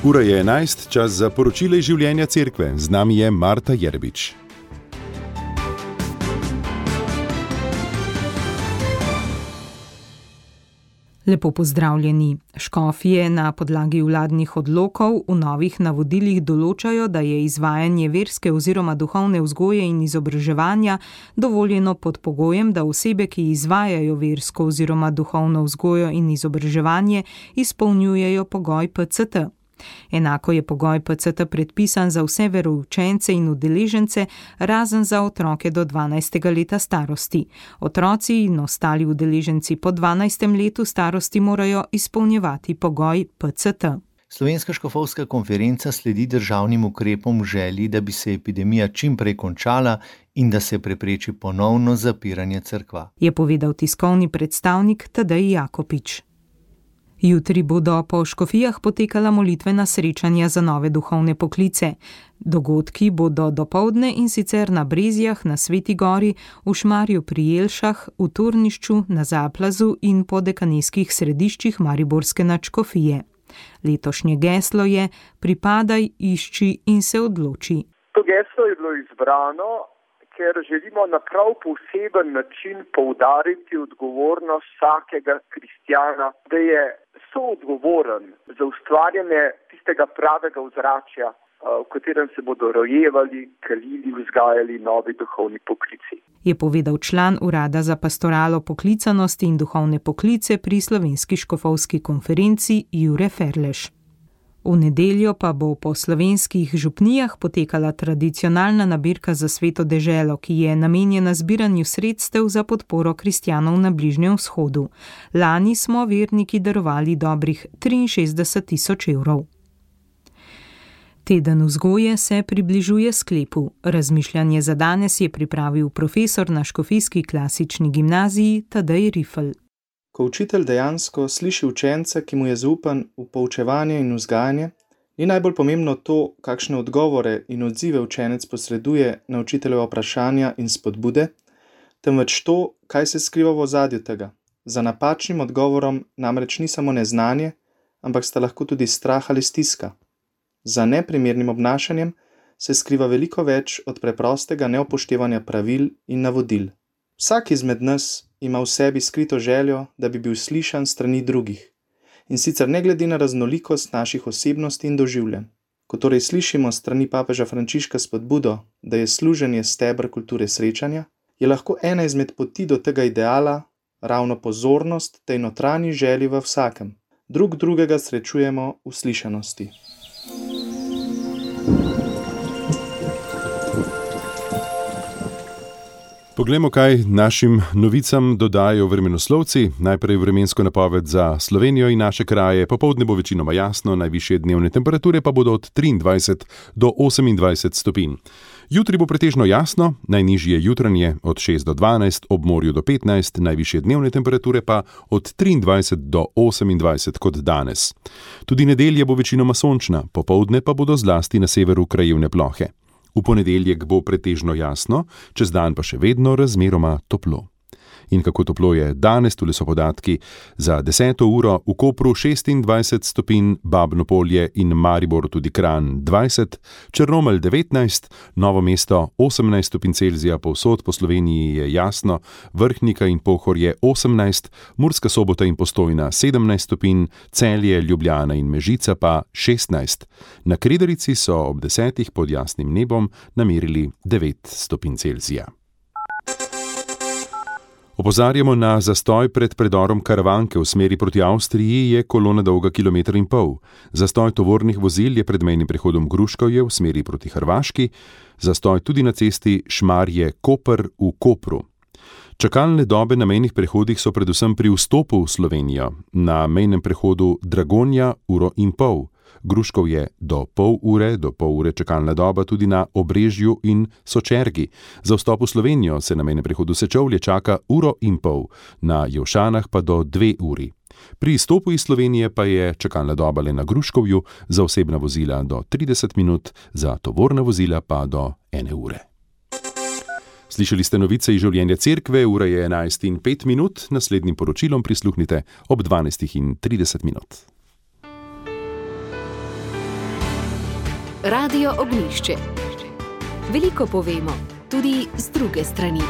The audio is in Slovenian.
Ura je 11, čas za poročila iz življenja cerkve. Z nami je Marta Jerbič. Lepo pozdravljeni. Škofje na podlagi vladnih odlokov v novih navodilih določajo, da je izvajanje verske oziroma duhovne vzgoje in izobraževanja dovoljeno pod pogojem, da osebe, ki izvajajo versko oziroma duhovno vzgojo in izobraževanje, izpolnjujejo pogoj PCT. Enako je pogoj PCT predpisan za vse veroučence in udeležence, razen za otroke do 12. leta starosti. Otroci in ostali udeleženci po 12. letu starosti morajo izpolnjevati pogoj PCT. Slovenska škofovska konferenca sledi državnim ukrepom v želji, da bi se epidemija čim prej končala in da se prepreči ponovno zapiranje cerkva, je povedal tiskovni predstavnik Tadej Jakopič. Jutri bodo po škofijah potekala molitvena srečanja za nove duhovne poklice. Dogodki bodo dopoldne in sicer na Brezjah, na Sveti Gori, v Šmarju pri Jelšah, v Turnišču, na Zaplazu in po dekanijskih središčih mariborske nadškofije. Letošnje geslo je Pripadaj, išči in se odloči. To geslo je bilo izbrano, ker želimo na prav poseben način poudariti odgovornost vsakega kristjana, da je soodgovoren za ustvarjanje tistega pravega ozračja, v katerem se bodo rojevali, kalili, vzgajali novi duhovni poklici. Je povedal član Urada za pastoralo poklicanosti in duhovne poklice pri Slovenski škofovski konferenci Jure Ferleš. V nedeljo pa bo po slovenskih župnijah potekala tradicionalna nabirka za Sveto deželo, ki je namenjena zbiranju sredstev za podporo kristjanov na Bližnjem vzhodu. Lani smo verniki darovali dobrih 63 000 evrov. Teden vzgoje se približuje sklepu. Razmišljanje za danes je pripravil profesor na Škofijski klasični gimnaziji Tadej Rifl. Ko učitelj dejansko sliši učenca, ki mu je zaupan v poučevanje in vzgajanje, ni najbolj pomembno to, kakšne odgovore in odzive učenec posreduje na učiteljeva vprašanja in spodbude, temveč to, kaj se skriva v ozadju tega. Za napačnim odgovorom namreč ni samo neznanje, ampak sta lahko tudi strah ali stiska. Za neprimernim obnašanjem se skriva veliko več od preprostega neupoštevanja pravil in navodil. Vsak izmed nas ima v sebi skrito željo, da bi bil slišan strani drugih, in sicer ne glede na raznolikost naših osebnosti in doživljanj. Ko torej slišimo strani papeža Frančiška spodbudo, da je služenje steber kulture srečanja, je lahko ena izmed poti do tega ideala ravno pozornost tej notranji želji v vsakem. Drugega srečujemo v slišanosti. Poglejmo, kaj našim novicam dodajo vremenoslovci. Najprej vremensko napoved za Slovenijo in naše kraje. Popoldne bo večinoma jasno, najvišje dnevne temperature pa bodo od 23 do 28 stopinj. Jutri bo pretežno jasno, najnižje jutranje od 6 do 12, ob morju do 15, najvišje dnevne temperature pa od 23 do 28 kot danes. Tudi nedelja bo večinoma sončna, popoldne pa bodo zlasti na severu krajevne plohe. V ponedeljek bo pretežno jasno, čez dan pa še vedno razmeroma toplo. In kako toplo je danes, tule so podatki. Za 10. uro v Kopru 26 stopinj, Babno Polje in Maribor tudi Kranj 20, Črnomelj 19, Novo mesto 18 stopinj Celzija, povsod po Sloveniji je jasno, Vrhnika in Pohorje 18, Murska Sobota in Postojna 17 stopinj, Celje, Ljubljana in Mežica pa 16. Na Kredarici so ob 10 pod jasnim nebom namerili 9 stopinj Celzija. Opozarjamo na zastoj pred predorom Karavanke v smeri proti Avstriji, je kolona dolga 1,5 km. Zastoj tovornih vozil je pred mejnim prehodom Gruškovje v smeri proti Hrvaški, zastoj tudi na cesti Šmarje-Koper v Kopru. Čakalne dobe na mejnih prehodih so predvsem pri vstopu v Slovenijo. Na mejnem prehodu Dragonja 1,5 ure. Gruškov je do pol ure čakalna doba tudi na Obrežju in Sočergi. Za vstop v Slovenijo se na mejnem prehodu Sečovlje čaka 1,5 ure, na Jelšanah pa do 2 uri. Pri izstopu iz Slovenije pa je čakalna doba le na Gruškovju, za osebna vozila do 30 minut, za tovorna vozila pa do 1 ure. Slišali ste novice iz življenja cerkve, ura je 11:05, naslednjim poročilom prisluhnite ob 12:30. Radio Ognjišče. Veliko povemo, tudi z druge strani.